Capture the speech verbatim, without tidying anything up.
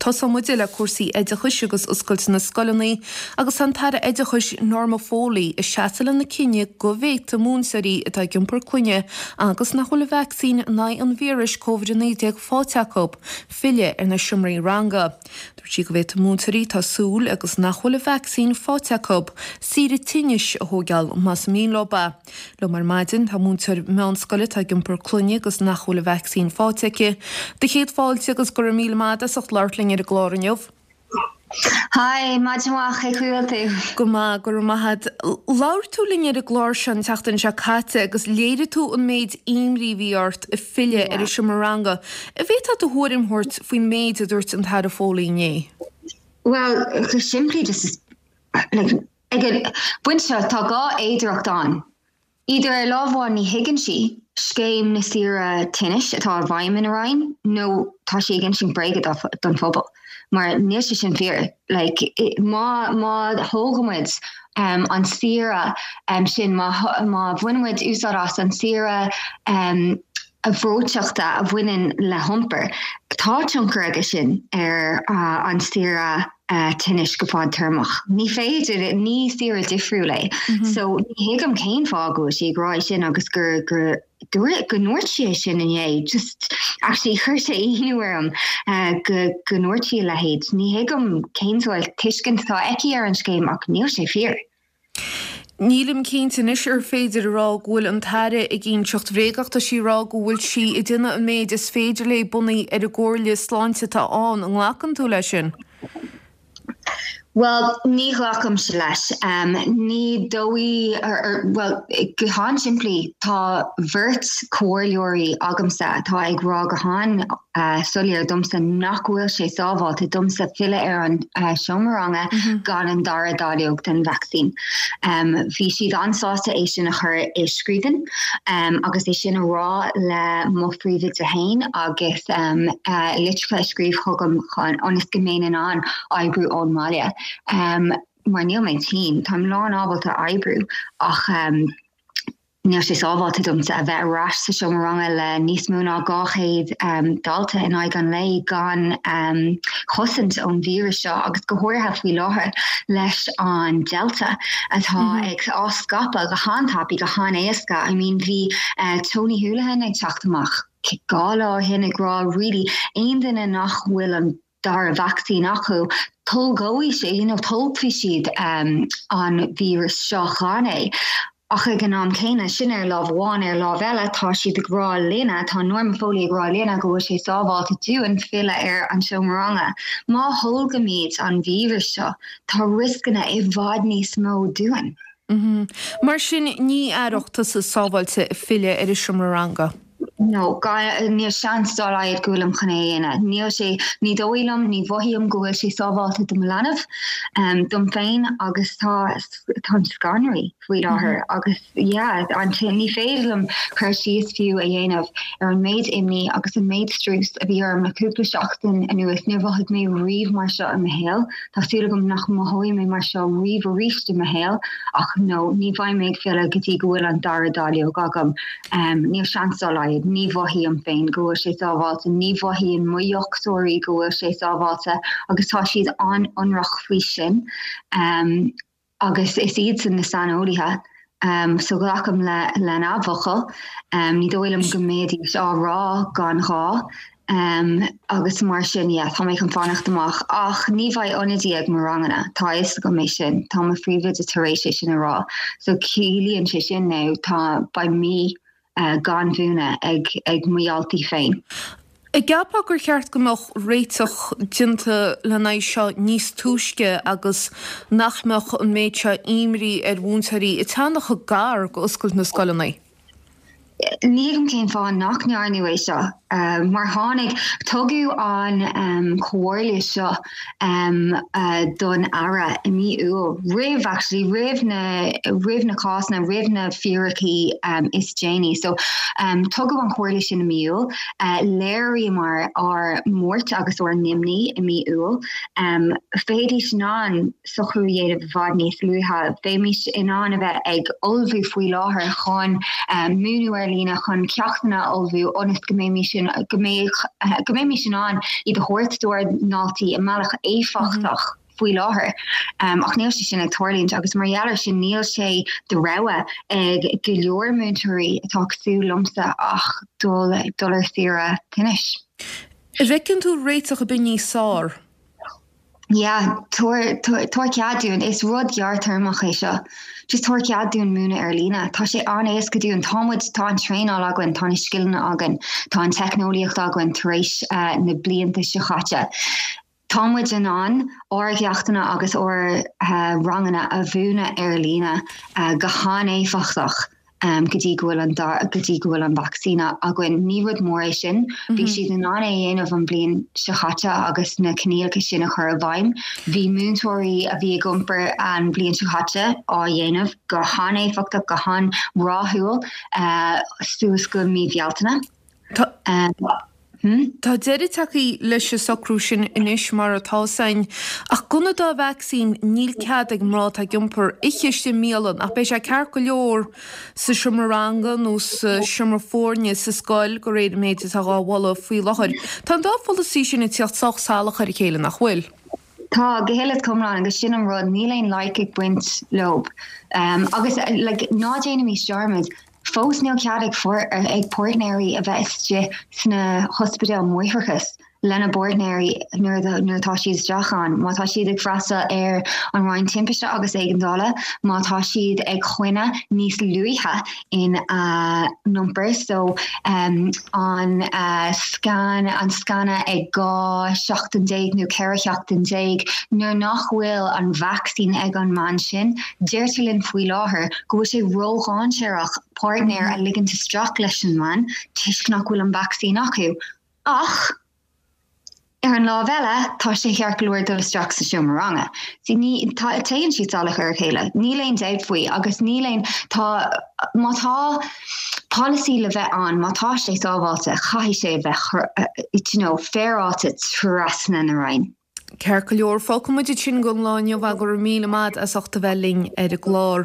Tosóidh muid le cúrsaí oideachais agus oscailt na scoileanna agus an tAire Oideachais Norma Foley ag seasamh lena cinneadh go bhféadfaidh múinteoirí atá ag iompar clainne agus nach bhfuil an vacsaín in aghaidh an víris Covid a naoi déag faighte acu filleadh ar na seomraí ranga. Dúirt sí go bhféadfaidh múinteoirí atá súil agus nach bhfuil an vacsaín faighte acu saoire tinnis a thógáil más mian leo é. Liom ar maidin tá múinteoir meánscoile atá ag iompar clainne agus nach bhfuil an vacsaín faighte aici. Do chéad fáilte agus go raibh míle maith as ucht labhairt linn ar an gclár inniu. Hi, maidin mhaith cén chaoi a bhfuil tú. Go maith go raibh maith agat. Labhair tú linn ar an gclár seo an tseachtain seo caite agus léirigh tú an méid imní a bhí ort ag filleadh ar an seomra ranga. An bhféadfá do thuairim a thabhairt faoin méid a dúirt an tAire Foley inné. Well, go simplí just like, ag an bpointe seo tá dhá fhéidearthacht ann. Idir ar lámh amháin ní thuigeann sí scéim na saoire tinnis atá i bhfeidhm ina roinn nó tá sí ag insint bréaga don phobal mar níl sé sin fíor. Like, má má thógaimid um, an saoire um, sin má, má bhainimid úsáid as an saoire um, a bhreoiteachta a bhaineann le hiompar, tá tionchar aige sin ar uh, an saoire uh, tinnis go fadtéarmach. Ní féidir ní saoire difriúil é. Mm -hmm. So ní thuigim cén fáth go bhfuil sí ag rá sin agus gur gur dúirt go ndúirt sí sin inné just actually chuir sé ionadh orm uh, go go ndúirt sí a leithéid. Ní thuigim cén sórt tuiscint atá aici ar an scéim ach níl sé fíor. Nílim cinnte anois ar féidir a rá go bhfuil an tAire ag inseacht bréag ach tá sí ag rá go bhfuil sí ag déanamh an méid is féidir léi bunaithe ar an gcomhairle sláinte atá ann an nglacann tú leis sin. Well, ní ghlacaimse leis. Um, ní dóigh well go han-simplí tá beirt comhairleoirí agamsa atá ag rá go han uh, soiléir domsa nach bhfuil sé sábháilte domsa filleadh ar an uh, seomra ranga mm -hmm. gan an dara dáileog den vacsaín. Um, Bhí siad an-sásta é sin a chur i scríbhinn um, agus é sin a rá le mo phríomhoide féin agus um, uh, litreacha a scríobh chugam chun ionas go mbeinn in ann oibriú ón mbaile. Um, mar níl mé tinn, Táim lán ábalta oibriú ach um, níl sé sábháilte domsa a bheith ar ais sa seomra ranga le níos mó ná dhá chéad um, dalta in aghaidh an lae gan um, chosaint ón víreas seo agus go háirithe faoi láthair leis an Delta atá mm -hmm. ag á scaipeadh go han-tapaidh go han-éasca. I mean bhí uh, Tony Holohan ag teacht amach dhá lá ó shin ag rá really aon duine nach bhfuil an dara vacsaín acu tolgóidh sé you know, tolgfaidh siad um, an víreas seo gan é. Ach ag an am céanna sin ar lámh amháin ar lámh eile tá siad ag rá linne tá Norma Foley ag rá linne go bhfuil sé sábháilte dúinn filleadh ar an seomra ranga. Má tholgaimid an víreas seo tá rioscanna i bhfad níos mó dúinn. Mm -hmm. Mar sin ní aireoidh tusa sábháilte filleadh ar an seomra ranga. No, níl seans dá laghad go bhfuilim chun é a dhéanamh. Níl sé ní dóigh liom ní mhothaím go bhfuil sé sábháilte do mo leanbh um, dom féin agus tá tá scanraithe faoi láthair mm -hmm. agus yeah, an ní féidir liom cur síos fiú a dhéanamh ar an méid imní agus an méid strus a bhí orm le cúpla seachtain anuas níor mhothaigh mé riamh mar seo i mo shaol Tá súil agam nach mothóidh mé mar seo riamh arís i mo shaol ach no ní bheidh mé ag filleadh go dtí go bhfuil an dara dáileog agam. Um, níl seans dá laghad, ní mhothaím féin go bhfuil sé sábháilte, ní mhothaíonn mo dhochtúirí go bhfuil sé sábháilte agus tá siad an-ionraic faoi sin. Um, agus is iadsan na saineolaithe. Um, so glacaim le lena bhfocal, um, ní dóigh liom go mbeidís á rá gan ghá. Um, agus mar sin yeah, tá mé chun fanacht amach ach ní bheidh ionadaí ag mo ranganna tá a fhios agam é sin tá mo phríomhoide tar éis é sin a rá so ciallaíonn sé sin nó tá beidh mí uh, gan mhúineadh ag ag mo dhaltaí féin. An gceapfá gur cheart go mbeadh réiteach déanta lena aghaidh seo níos túisce agus nach mbeadh an méid seo imní ar mhúinteoirí ag teannadh chomh gar go oscailt na scoileanna. Ní thuigim cén fáth nach ndearnadh é seo. Uh, mar tháinig tugadh an um, comhairle seo um, uh, don Aire i mí Iúil roimh actually roimh na roimh na cásanna roimh na fíricí um, is déanaí. So um, tugadh an chomhairle sin i mí Iúil, uh, léiríomar ár mbuairt agus ár n-imní i mí Iúil. Um, Bheidís in ann socrú a dhéanamh i bhfad níos luaithe, bheimis in ann a bheith ag ullmhú faoi láthair chun um, múineadh ar ar líne chun ceachtanna a ullmhú ionas go mbeimis in go mbeidh go mbeimis in ann iad a thabhairt dár ndaltaí i mbealach éifeachtach faoi láthair. Um, ach níl sé sin ag tarlúint agus mar gheall air sin níl sé de rogha ag go leor múinteoirí atá cosúil liomsa ach dul dul ar saoire tinnis. An bhfeiceann tú réiteach ar bith níos fearr. Yeah, tabhair cead dúinn is rud gearrthéarmach é seo. Just tabhair cead dúinn múineadh ar líne. Tá sé an-éasca dúinn tá muid tá an traenáil againn, tá na scileanna againn, tá an teicneolaíocht againn tar éis uh, na blianta seo caite. Tá muid in ann ár gceachtanna agus ár uh, ranganna a mhúineadh ar líne uh, go han-éifeachtach. um, go dtí go bhfuil an go dtí go bhfuil an vacsaín againn ní rud mór é sin mm -hmm. bhí siad in ann é dhéanamh an bhliain seo caite agus na coinníollacha sin a chur i bhfeidhm bhí múinteoirí a bhí ag iompar an bhliain seo caite á dhéanamh go han-éifeachtach go han-rathúil uh, suas go mí Bhealtaine. Um, Hmm? Tá deireadh tagtha leis an socrú sin anois mar atá sin ach gan an dá vacsaín níl cead ag mná atá ag iompar ithe i mbialann ach beidh sé ceart go leor sa seomra ranga nó sa seomra foirne sa scoil de réir méid atá á mholadh faoi láthair. Tá an dá pholasaí sin ag teacht sách salach ar a chéile nach bhfuil. Tá go huile is go hiomlán agus sin an rud níl aon loighic ag baint leo. Um, agus like, ná déanaimis dearmad fós níl cead ag ag páirtnéirí a bheith istigh sna hospidéal máithreachais lena bpáirtnéirí nuair nuair atá siad isteach ann. Má tá siad ag freastal ar an roinn timpiste agus éigeandála, má tá siad ag coinne níos luaithe in uh, iompar so um, an uh, scan an scanadh ag dhá seachtain déag nó ceithre sheachtain déag nuair nach bhfuil an vacsaín ag an mbean sin, deirtear linn faoi láthair go bhfuil sé ródhainséarach páirtnéir a ligint isteach leis an mbean toisc nach bhfuil an vacsaín acu. Ach ar an lámh eile tá sé ceart go leor dul isteach sa seomra ranga. Sí ní téann siad salach ar a chéile, Níl aon dabht faoi agus níl aon tá má tá polasaí le bheith ann má tá sé sábháilte caithfidh sé bheith you know, féaráilte trasna na Roinne. Ceart go leor fágfaidh muid sin don lá inniu go raibh míle maith as ucht a bheith linn ar an gclár.